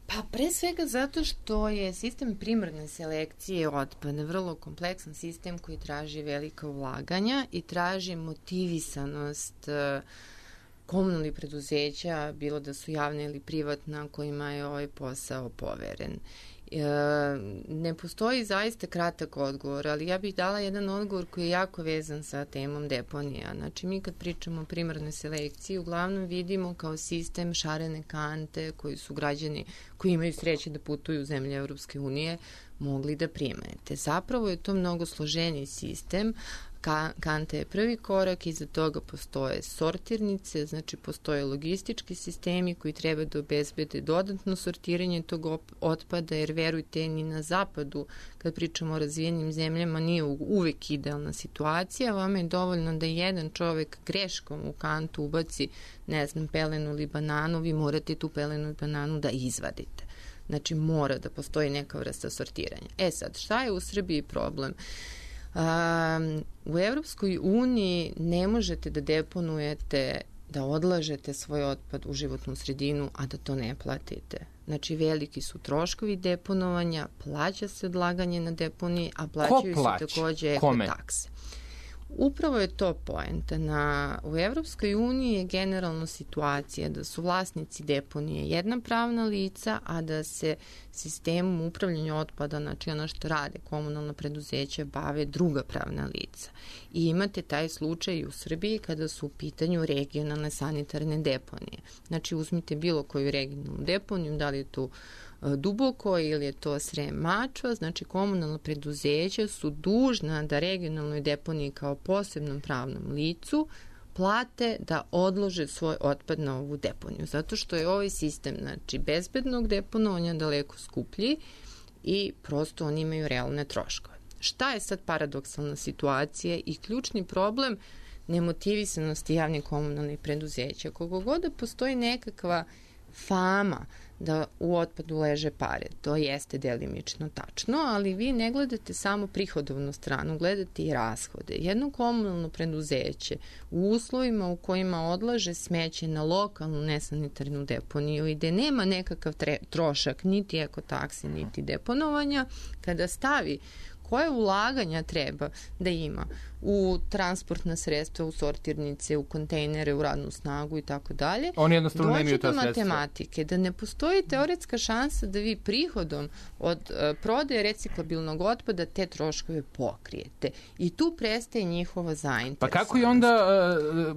S2: Pa pre svega zato što je sistem primarne selekcije otpada vrlo kompleksan sistem koji traži velika ulaganja i traži motivisanost komunalnih preduzeća, bilo da su javne ili privatna, kojima je ovaj posao poveren. Ne postoji zaista kratak odgovor, ali ja bih dala jedan odgovor koji je jako vezan sa temom deponija. Znači, mi kad pričamo o primarnoj selekciji, uglavnom vidimo kao sistem šarene kante koji su građani koji imaju sreće da putuju u zemlje Evropske unije mogli da primete. Zapravo je to mnogo složeniji sistem. Kanta je prvi korak, iza toga postoje sortirnice, znači postoje logistički sistemi koji treba da obezbede dodatno sortiranje tog otpada, jer verujte, ni na zapadu, kad pričamo o razvijenim zemljama, nije uvek idealna situacija. Vama je dovoljno da jedan čovek greškom u kantu ubaci, ne znam, pelenu ili bananu, vi morate tu pelenu i bananu da izvadite. Znači, mora da postoji neka vrsta sortiranja. E sad, šta je u Srbiji problem? Um, u Evropskoj uniji ne možete da deponujete, da odlažete svoj otpad u životnu sredinu, a da to ne platite. Znači, veliki su troškovi deponovanja, plaća se odlaganje na deponiji, a plaćaju se takođe ekotakse. Upravo je to poenta. Na, u Evropskoj uniji je generalno situacija da su vlasnici deponije jedna pravna lica, a da se sistemom upravljanja otpada, znači ono što rade komunalna preduzeća, bave druga pravna lica. I imate taj slučaj i u Srbiji kada su u pitanju regionalne sanitarne deponije. Znači, uzmite bilo koju regionalnu deponiju, da li je tu Duboko ili je to Srem Mačva, znači komunalna preduzeća su dužna da regionalnoj deponiji kao posebnom pravnom licu plate da odlože svoj otpad na ovu deponiju, zato što je ovaj sistem, znači, bezbednog deponovanja daleko skuplji i prosto oni imaju realne troškove. Šta je sad paradoksalna situacija i ključni problem nemotivisanosti javnih komunalnih preduzeća? Koliko god da postoji nekakva fama da u otpadu leže pare, to jeste delimično tačno, ali vi ne gledate samo prihodovnu stranu, gledate i rashode. Jedno komunalno preduzeće u uslovima u kojima odlaže smeće na lokalnu nesanitarnu deponiju i gde nema nekakav tre, trošak, niti ekotaksi, niti deponovanja, kada stavi koje ulaganja treba da ima u transportna sredstva, u sortirnice, u kontejnere, u radnu snagu i tako dalje.
S1: Oni jednostavno nemaju ta
S2: sredstva. Dođe do matematike, da ne postoji teoretska šansa da vi prihodom od uh, prodaje reciklabilnog otpada te troškove pokrijete. I tu prestaje njihova zainteresovanost.
S1: Pa kako je onda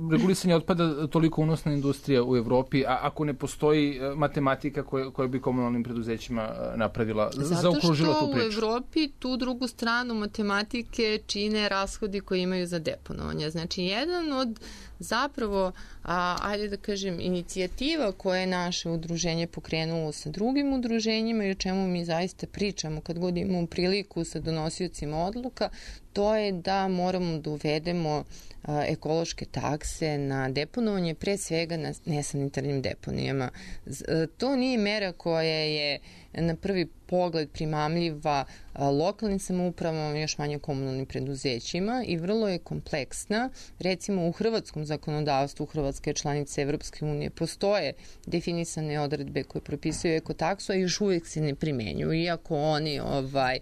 S1: uh, regulisanje otpada toliko unosna industrija u Evropi, a ako ne postoji uh, matematika koja, koja bi komunalnim preduzećima uh, napravila, zaokružila tu priču?
S2: Zato što u Evropi tu drugu stranu matematike čine rashodi koji imaju za deponovanje. Znači, jedan od zapravo, a, ajde da kažem, inicijativa koje je naše udruženje pokrenulo sa drugim udruženjima i o čemu mi zaista pričamo kad god imamo priliku sa donosiocima odluka, to je da moramo da uvedemo a, ekološke takse na deponovanje, pre svega na nesanitarnim deponijama. Z, a, to nije mera koja je na prvi pogled primamljiva a, lokalnim samoupravama, još manje komunalnim preduzećima i vrlo je kompleksna. Recimo, u hrvatskom zakonodavstvu, Hrvatske članice Evropske unije, postoje definisane odredbe koje propisuju ekotaksu, a još uvijek se ne primenjuju, iako oni ovaj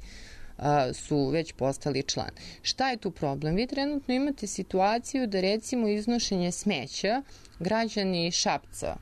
S2: a, su već postali član. Šta je tu problem? Vi trenutno imate situaciju da recimo iznošenje smeća građani Šapca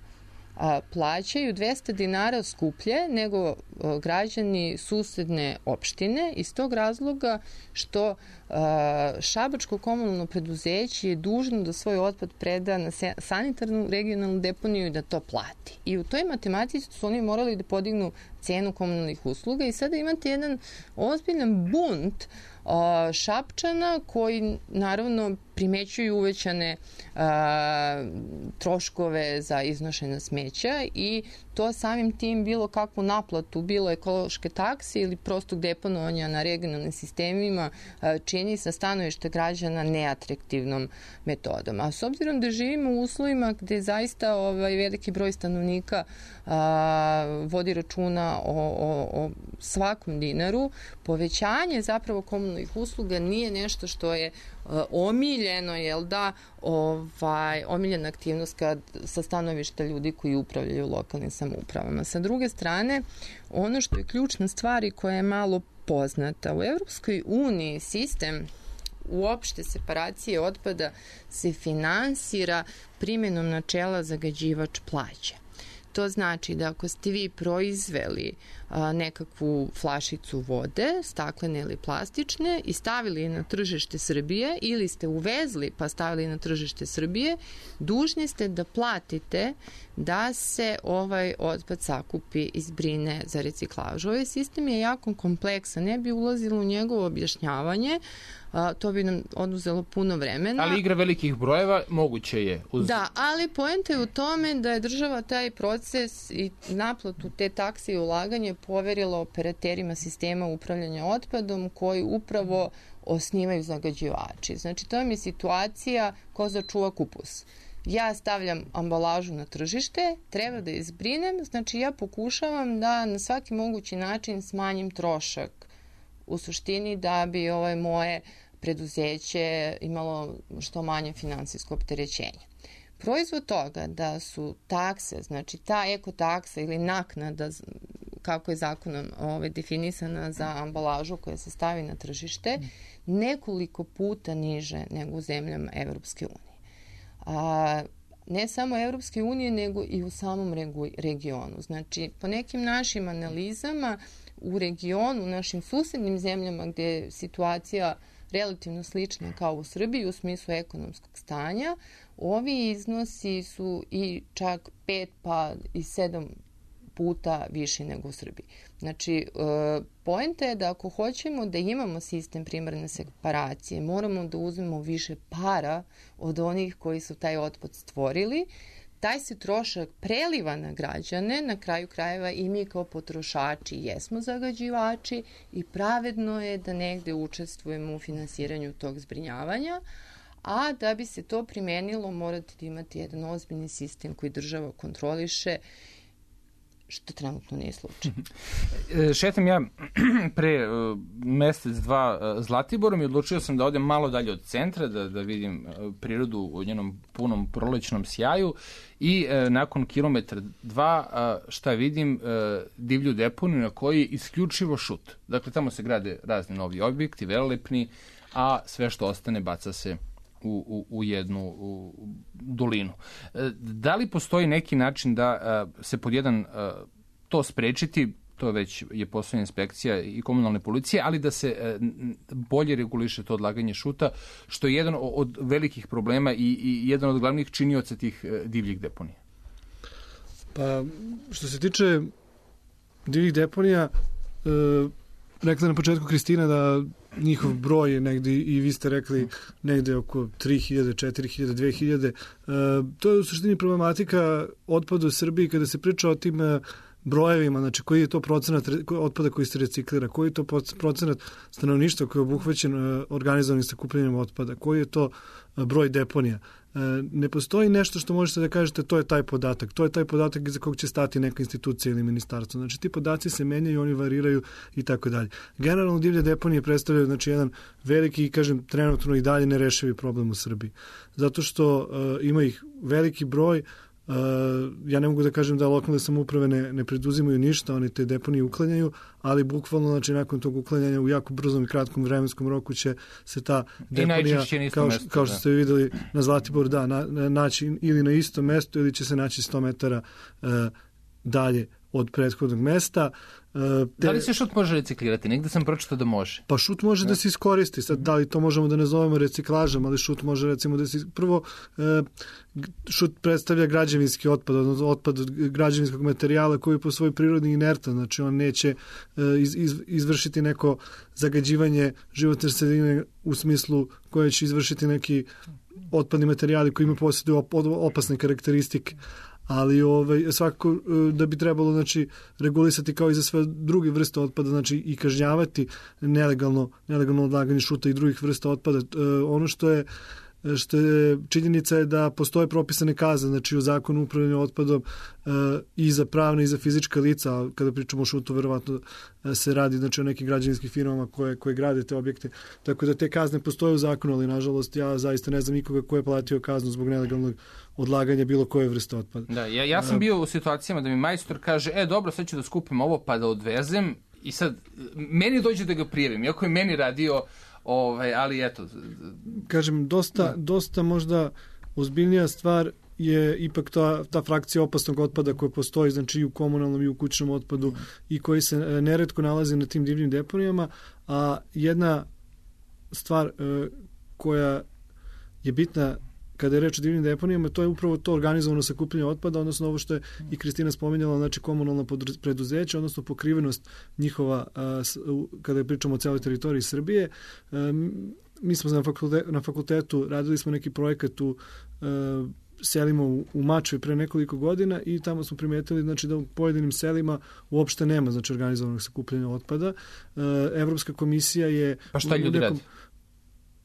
S2: a, plaćaju dvesta dinara skuplje nego a, građani susedne opštine iz tog razloga što a, Šabačko komunalno preduzeće je dužno da svoj otpad preda na sanitarnu regionalnu deponiju i da to plati. I u toj matematici su oni morali da podignu cenu komunalnih usluga i sada imate jedan ozbiljan bunt a, Šapčana koji naravno primećuju uvećane a, troškove za iznošenje smeća i to samim tim bilo kakvu naplatu, bilo ekološke takse ili prostog deponovanja na regionalnim sistemima a, čini sa stanovišta građana neatraktivnom metodom. A s obzirom da živimo u uslovima gde zaista ovaj, veliki broj stanovnika a, vodi računa o, o, o svakom dinaru, povećanje zapravo komunalnih usluga nije nešto što je omiljeno, jel da, ovaj, omiljena aktivnost kad, sa stanovišta ljudi koji upravljaju lokalnim samoupravama. Sa druge strane, ono što je ključna stvar i koja je malo poznata, u Evropskoj uniji sistem uopšte separacije otpada se finansira primjenom načela zagađivač plaća. To znači da ako ste vi proizveli a, nekakvu flašicu vode, staklene ili plastične, i stavili je na tržište Srbije ili ste uvezli pa stavili na tržište Srbije, dužni ste da platite da se ovaj otpad sakupi i zbrine za reciklažu. Ovaj sistem je jako kompleksan, ne bi ulazilo u njegovo objašnjavanje, a, to bi nam oduzelo puno vremena.
S1: Ali igra velikih brojeva moguće je. Uz...
S2: Da, ali poenta je u tome da je država taj proces i naplatu te takse i ulaganje poverila operaterima sistema upravljanja otpadom koji upravo osnivaju zagađivači. Znači, to je situacija ko začuva kupus. Ja stavljam ambalažu na tržište, treba da je zbrinem, znači ja pokušavam da na svaki mogući način smanjim trošak u suštini da bi ovaj moje preduzeće imalo što manje finansijsko opterećenje. Proizvod toga da su takse, znači ta ekotaksa ili naknada, kako je zakonom ovaj, definisana za ambalažu koja se stavi na tržište, nekoliko puta niže nego u zemljama Evropske unije. A, ne samo Evropske unije, nego i u samom regionu. Znači, po nekim našim analizama u regionu, u našim susednim zemljama gde je situacija relativno slična kao u Srbiji u smislu ekonomskog stanja, ovi iznosi su i čak pet pa i sedam puta više nego u Srbiji. Znači, poenta je da ako hoćemo da imamo sistem primarne separacije, moramo da uzmemo više para od onih koji su taj otpad stvorili. Taj se trošak preliva na građane, na kraju krajeva i mi kao potrošači jesmo zagađivači i pravedno je da negde učestvujemo u finansiranju tog zbrinjavanja, a da bi se to primenilo morate da imate jedan ozbiljni sistem koji država kontroliše, što trenutno nije slučaj.
S1: Šetam ja pre uh, mesec, dva uh, Zlatiborom i odlučio sam da odem malo dalje od centra, da, da vidim uh, prirodu u njenom punom prolećnom sjaju i uh, nakon kilometra dva uh, šta vidim, uh, divlju deponiju na koji je isključivo šut. Dakle, tamo se grade razni novi objekti, velelepni, a sve što ostane baca se U, u, u jednu u dolinu. Da li postoji neki način da a, se pod jedan a, to sprečiti, to već je posao inspekcija i komunalne policije, ali da se a, bolje reguliše to odlaganje šuta, što je jedan od velikih problema i, i jedan od glavnih činioca tih a, divljih deponija?
S3: Pa, što se tiče divljih deponija, e, rekla na početku Kristina da njihov broj je negde, i vi ste rekli, negde oko tri hiljade, četiri hiljade, dve hiljade. E, to je u suštini problematika otpada u Srbiji kada se priča o tim brojevima, znači koji je to procenat otpada koji se reciklira, koji je to procenat stanovništva koji je obuhvaćen organizovanim sakupljanjem otpada, koji je to broj deponija. Ne postoji nešto što možete da kažete to je taj podatak, to je taj podatak iza kog će stati neka institucija ili ministarstvo. Znači ti podaci se menjaju, oni variraju i tako dalje. Generalno divlje deponije predstavljaju znači jedan veliki, kažem, trenutno i dalje nerešivi problem u Srbiji. Zato što uh, ima ih veliki broj, Uh, ja ne mogu da kažem da lokalne samouprave ne, ne preduzimaju ništa, oni te deponije uklanjaju, ali bukvalno znači, nakon tog uklanjanja u jako brzom i kratkom vremenskom roku će se ta deponija, kao, mesto, kao što ste videli na Zlatiboru, da, na, na, naći ili na istom mestu ili će se naći sto metara uh, dalje od prethodnog mesta. Uh,
S1: te... Da li se šut može reciklirati? Negde sam pročitao da može.
S3: Pa šut može ne. da se iskoristi. Sad, da li to možemo da nazovemo reciklažom, ali šut može recimo da se... Prvo, uh, šut predstavlja građevinski otpad, odnosno otpad od građevinskog materijala koji je po svojoj prirodi inertan, znači on neće uh, iz, iz, izvršiti neko zagađivanje životne sredine u smislu koje će izvršiti neki otpadni materijali koji imaju posjeduju op, opasne karakteristike. Ali ovaj, svakako da bi trebalo znači, regulisati kao i za sve druge vrste otpada, znači i kažnjavati nelegalno, nelegalno odlaganje šuta i drugih vrsta otpada. E, ono što je što je činjenica je da postoje propisane kazne, znači u zakonu o upravljanju otpadom e, i za pravne i za fizička lica, a kada pričamo o šutu, verovatno e, se radi znači, o nekim građevinskim firmama koje, koje grade te objekte, tako da te kazne postoje u zakonu, ali nažalost ja zaista ne znam nikoga ko je platio kaznu zbog nelegalnog odlaganja bilo koje vrste otpada.
S1: Da, ja, ja sam bio u situacijama da mi majstor kaže, e dobro, sad ću da skupim ovo pa da odvezem i sad meni dođe da ga prijavim, iako je meni radio Ovaj, ali eto.
S3: Kažem, dosta, dosta možda ozbiljnija stvar je ipak ta, ta frakcija opasnog otpada koja postoji znači i u komunalnom i u kućnom otpadu i koji se neretko nalazi na tim divljim deponijama, a jedna stvar e, koja je bitna kada je reč o divljim deponijama, to je upravo to organizovano sakupljanje otpada, odnosno ovo što je i Kristina spominjala, znači komunalna preduzeća, odnosno pokrivenost njihova kada je pričamo o celoj teritoriji Srbije. Mi smo na fakultetu, na fakultetu radili smo neki projekat u selima u, u Mačvi pre nekoliko godina i tamo smo primetili znači, da u pojedinim selima uopšte nema znači, organizovanog sakupljanja otpada. Evropska komisija je...
S1: Pa šta ljudi nekom, radi?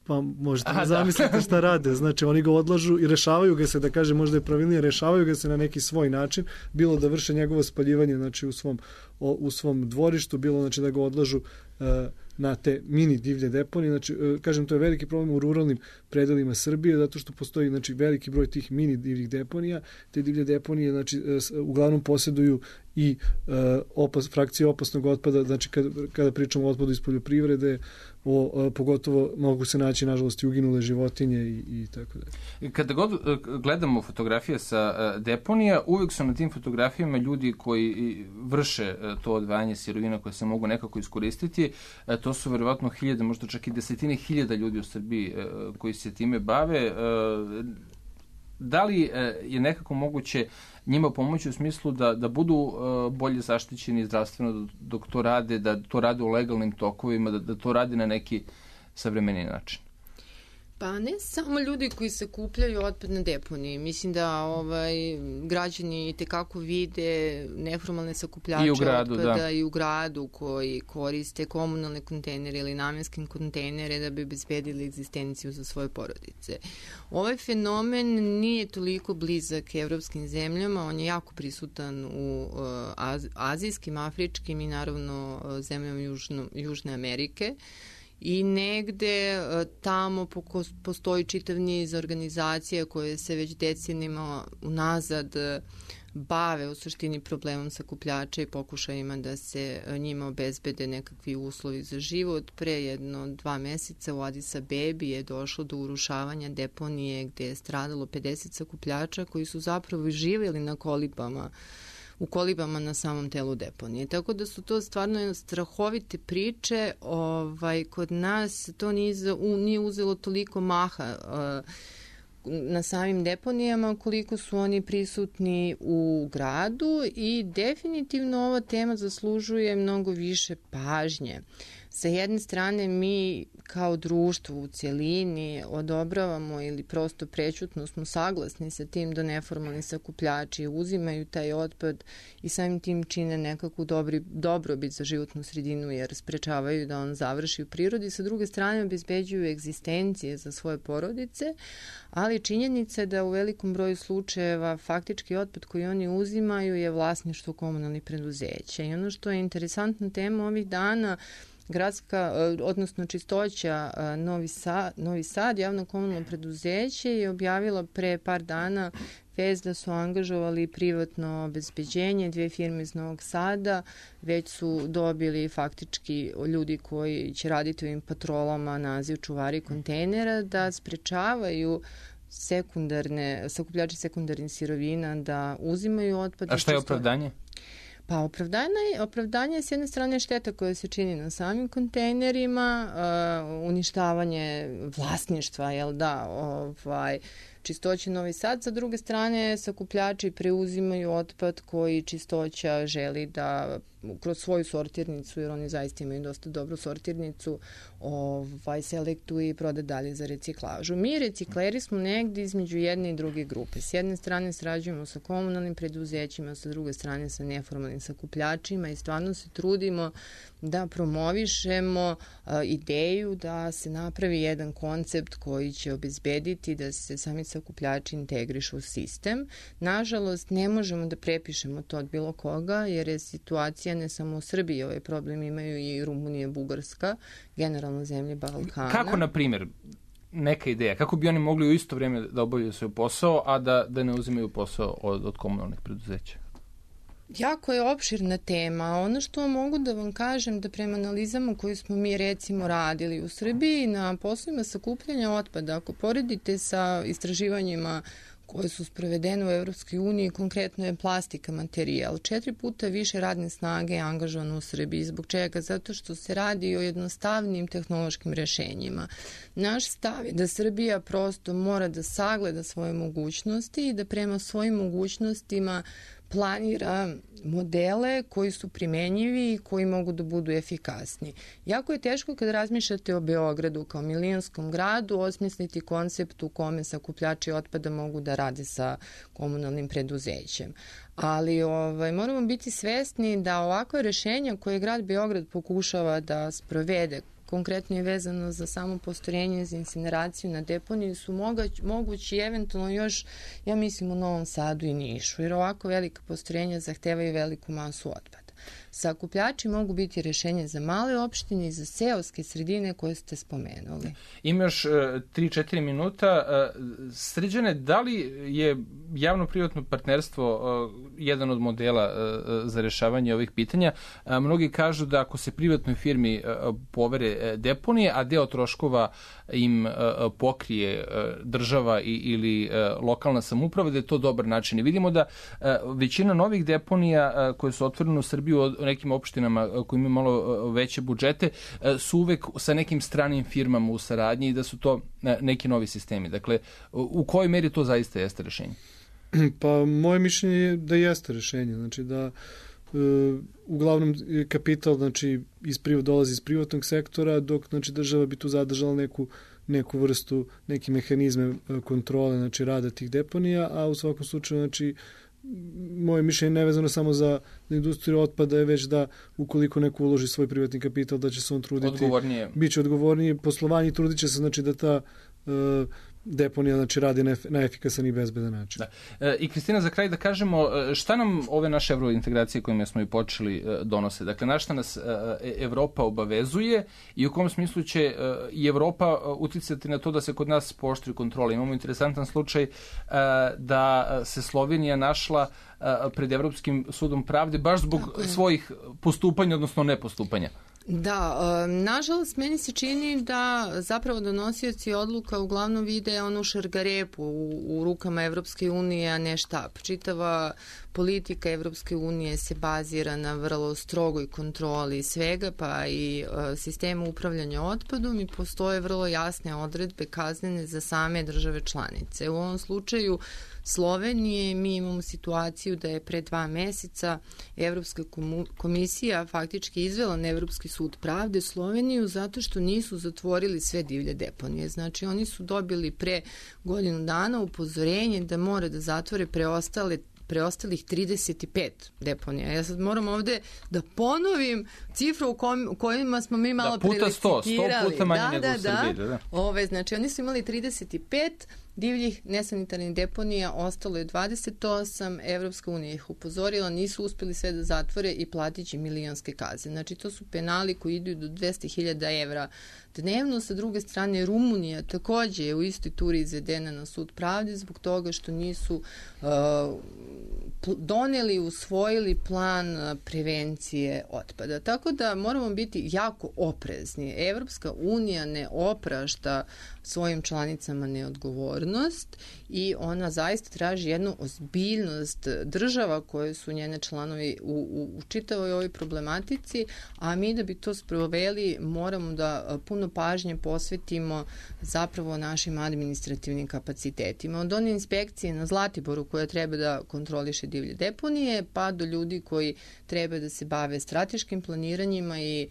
S3: Pa možete Aha, zamisliti da. šta rade. Znači oni ga odlažu i rešavaju ga se, da kaže možda je pravilnije, rešavaju ga se na neki svoj način, bilo da vrše njegovo spaljivanje znači, u, svom, o, u svom dvorištu, bilo znači, da ga odlažu uh, na te mini divlje deponije. Znači, uh, kažem, to je veliki problem u ruralnim predelima Srbije, zato što postoji znači, veliki broj tih mini divljih deponija. Te divlje deponije znači, uh, uglavnom posjeduju i uh, opas, frakcije opasnog otpada, znači kada, kada pričamo o otpadu iz poljoprivrede, o, o, pogotovo mogu se naći nažalost i uginule životinje i, i tako dalje.
S1: Kada god gledamo fotografije sa uh, deponija, uvijek su na tim fotografijama ljudi koji vrše uh, to odvajanje sirovina koje se mogu nekako iskoristiti. Uh, to su verovatno hiljade, možda čak i desetine hiljada ljudi u Srbiji uh, koji se time bave. Uh, da li uh, je nekako moguće njima pomoći u smislu da, da budu uh, bolje zaštićeni zdravstveno dok to rade, da to rade u legalnim tokovima, da, da to rade na neki savremeni način?
S2: Pa ne samo ljudi koji sakupljaju otpad na deponiji. Mislim da ovaj, građani tekako vide neformalne sakupljače I gradu, otpada da. i u gradu koji koriste komunalne kontejnere ili namenske kontejnere da bi obezbedili egzistenciju za svoje porodice. Ovaj fenomen nije toliko blizak evropskim zemljama, on je jako prisutan u uh, az, azijskim, afričkim i naravno uh, zemljama Južno, Južne Amerike. I negde tamo postoji čitav niz organizacija koje se već decenijama unazad bave u suštini problemom sakupljača i pokušajima da se njima obezbede nekakvi uslovi za život. Pre jedno dva meseca u Adis Abebi je došlo do urušavanja deponije gde je stradalo pedeset sakupljača koji su zapravo živjeli na kolibama u kolibama na samom telu deponije. Tako da su to stvarno strahovite priče. Ovaj, kod nas to nije, nije uzelo toliko maha uh, na samim deponijama koliko su oni prisutni u gradu i definitivno ova tema zaslužuje mnogo više pažnje. Sa jedne strane mi kao društvo u cjelini odobravamo ili prosto prećutno smo saglasni sa tim da neformalni sakupljači uzimaju taj otpad i samim tim čine nekakvu dobri, dobrobit za životnu sredinu jer sprečavaju da on završi u prirodi. Sa druge strane obezbeđuju egzistencije za svoje porodice, ali činjenica je da u velikom broju slučajeva faktički otpad koji oni uzimaju je vlasništvo komunalnih preduzeća. I ono što je interesantna tema ovih dana, gradska, odnosno čistoća Novi Sad, Novi Sad, javno komunalno preduzeće je objavila pre par dana vez da su angažovali privatno obezbeđenje, dve firme iz Novog Sada, već su dobili faktički ljudi koji će raditi u ovim patrolama naziv čuvari kontejnera da sprečavaju sekundarne, sakupljači sekundarnih sirovina da uzimaju otpad.
S1: A šta je opravdanje?
S2: Pa opravdanje, opravdanje je s jedne strane šteta koja se čini na samim kontejnerima, uh, uništavanje vlasništva, jel da, ovaj, Čistoća Novi Sad, sa druge strane sakupljači preuzimaju otpad koji Čistoća želi da kroz svoju sortirnicu, jer oni zaista imaju dosta dobru sortirnicu, ovaj, selektuje i proda dalje za reciklažu. Mi recikleri smo negdje između jedne i druge grupe. S jedne strane srađujemo sa komunalnim preduzećima, sa druge strane sa neformalnim sakupljačima i stvarno se trudimo da promovišemo uh, ideju da se napravi jedan koncept koji će obezbediti da se sami sakupljači integrišu u sistem. Nažalost, ne možemo da prepišemo to od bilo koga, jer je situacija ne samo u Srbiji, ovaj problem imaju i Rumunija, Bugarska, generalno zemlje Balkana.
S1: Kako, na primjer, neka ideja, kako bi oni mogli u isto vrijeme da obavljaju svoj posao, a da, da ne uzimaju posao od, od komunalnih preduzeća?
S2: Jako je opširna tema. Ono što mogu da vam kažem da prema analizama koje smo mi recimo radili u Srbiji na poslovima sakupljanja otpada, ako poredite sa istraživanjima koje su sprovedene u Evropskoj uniji, konkretno je plastika materijal. Četiri puta više radne snage je angažovano u Srbiji. Zbog čega? Zato što se radi o jednostavnim tehnološkim rešenjima. Naš stav je da Srbija prosto mora da sagleda svoje mogućnosti i da prema svojim mogućnostima planira modele koji su primenjivi i koji mogu da budu efikasni. Jako je teško kad razmišljate o Beogradu kao milionskom gradu osmisliti koncept u kome sakupljači otpada mogu da rade sa komunalnim preduzećem. Ali ovaj, moramo biti svesni da ovakve rešenja koje grad Beograd pokušava da sprovede, konkretno je vezano za samo postrojenje za incineraciju na deponiji, su mogać, mogući eventualno još, ja mislim, u Novom Sadu i Nišu, jer ovako velika postrojenja zahtevaju veliku masu otpada. Sakupljači mogu biti rešenje za male opštine i za seoske sredine koje ste spomenuli.
S1: Ima još tri četiri minuta. Srđane, da li je javno-privatno partnerstvo jedan od modela za rešavanje ovih pitanja? Mnogi kažu da ako se privatnoj firmi povere deponije, a deo troškova im pokrije država ili lokalna samouprava, da je to dobar način. I vidimo da većina novih deponija koje su otvorene u Srbiji u nekim opštinama koji imaju malo veće budžete su uvek sa nekim stranim firmama u saradnji i da su to neki novi sistemi. Dakle, u kojoj meri to zaista jeste rešenje?
S3: Pa moje mišljenje je da jeste rešenje. Znači da e, uglavnom kapital znači, iz privat, dolazi iz privatnog sektora, dok znači, država bi tu zadržala neku neku vrstu, neki mehanizme kontrole znači, rada tih deponija, a u svakom slučaju znači, moje mišljenje nevezano samo za industriju otpada je već da ukoliko neko uloži svoj privatni kapital da će se on truditi,
S1: odgovornije.
S3: Biće odgovornije poslovanje i trudit će se znači da ta uh, deponija znači radi na, na efikasan i bezbedan način.
S1: Da. E, I Kristina, za kraj da kažemo šta nam ove naše evrointegracije kojima smo i počeli donose? Dakle, na šta nas Evropa obavezuje i u kom smislu će i Evropa uticati na to da se kod nas pooštri kontrole? Imamo interesantan slučaj da se Slovenija našla pred Evropskim sudom pravde baš zbog svojih postupanja, odnosno nepostupanja.
S2: Da, e, nažalost, meni se čini da zapravo donosioci odluka uglavnom vide onu šargarepu u, u rukama Evropske unije, a ne štap. Čitava politika Evropske unije se bazira na vrlo strogoj kontroli svega, pa i e, sistemu upravljanja otpadom i postoje vrlo jasne odredbe kaznene za same države članice. U ovom slučaju Slovenije mi imamo situaciju da je pre dva meseca Evropska komisija faktički izvela na Evropski sud pravde Sloveniju zato što nisu zatvorili sve divlje deponije. Znači oni su dobili pre godinu dana upozorenje da mora da zatvore preostale preostalih trideset pet deponija. Ja sad moram ovde da ponovim cifru u, kom, u kojima smo mi malo
S1: da, puta sto, sto puta manje
S2: da,
S1: nego
S2: da,
S1: u Srbiji. Da, da.
S2: Ove, znači, oni su imali trideset pet Divljih nesanitarnih deponija ostalo je dvadeset osam, Evropska unija ih upozorila, nisu uspeli sve da zatvore i platit će milionske kazne. Znači, to su penali koji idu do dvesta hiljada evra dnevno. Sa druge strane, Rumunija takođe je u istoj turi izvedena na sud pravde zbog toga što nisu uh, doneli, usvojili plan prevencije otpada. Tako da moramo biti jako oprezni. Evropska unija ne oprašta svojim članicama neodgovornost i ona zaista traži jednu ozbiljnost država koje su njene članovi u, u, u čitavoj ovoj problematici, a mi da bi to sproveli moramo da puno pažnje posvetimo zapravo našim administrativnim kapacitetima. Od one inspekcije na Zlatiboru koja treba da kontroliše divlje deponije, pa do ljudi koji treba da se bave strateškim planiranjima i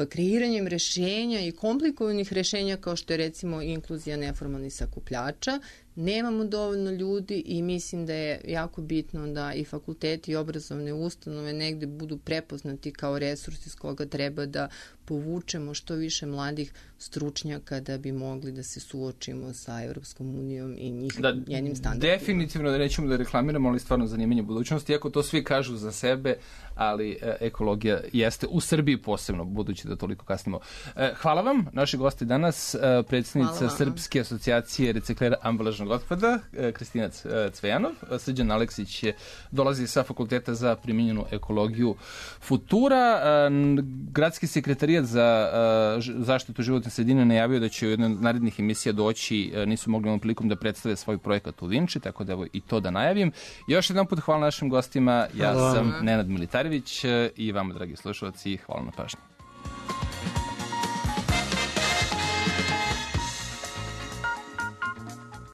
S2: kreiranjem rešenja i komplikovanih rešenja kao što je recimo inkluzija neformalnih sakupljača. Nemamo dovoljno ljudi i mislim da je jako bitno da i fakulteti i obrazovne ustanove negde budu prepoznati kao resurs iz koga treba da povučemo što više mladih stručnjaka da bi mogli da se suočimo sa Evropskom unijom i njih, da, njenim standardima.
S1: Definitivno da nećemo da reklamiramo, ali stvarno zanimanje budućnosti. Iako to svi kažu za sebe, ali e, ekologija jeste u Srbiji posebno, budući da toliko kasnimo. E, hvala vam, naši gosti danas, e, predsjednica Srpske asocijacije reciklera ambalažnog otpada, e, Kristina Cvejanov, Srđan Aleksić je, dolazi sa Fakulteta za primjenjenu ekologiju Futura. E, gradski sekretarijat za e, zaštitu životne sredine najavio da će u jednoj od narednih emisija doći, e, nisu mogli ovom prilikom da predstave svoj projekat u Vinči, tako da evo i to da najavim. Još jedan put hvala našim gostima, ja hvala. sam Nenad Militarević i vama, dragi slušalci, hvala na pažnji.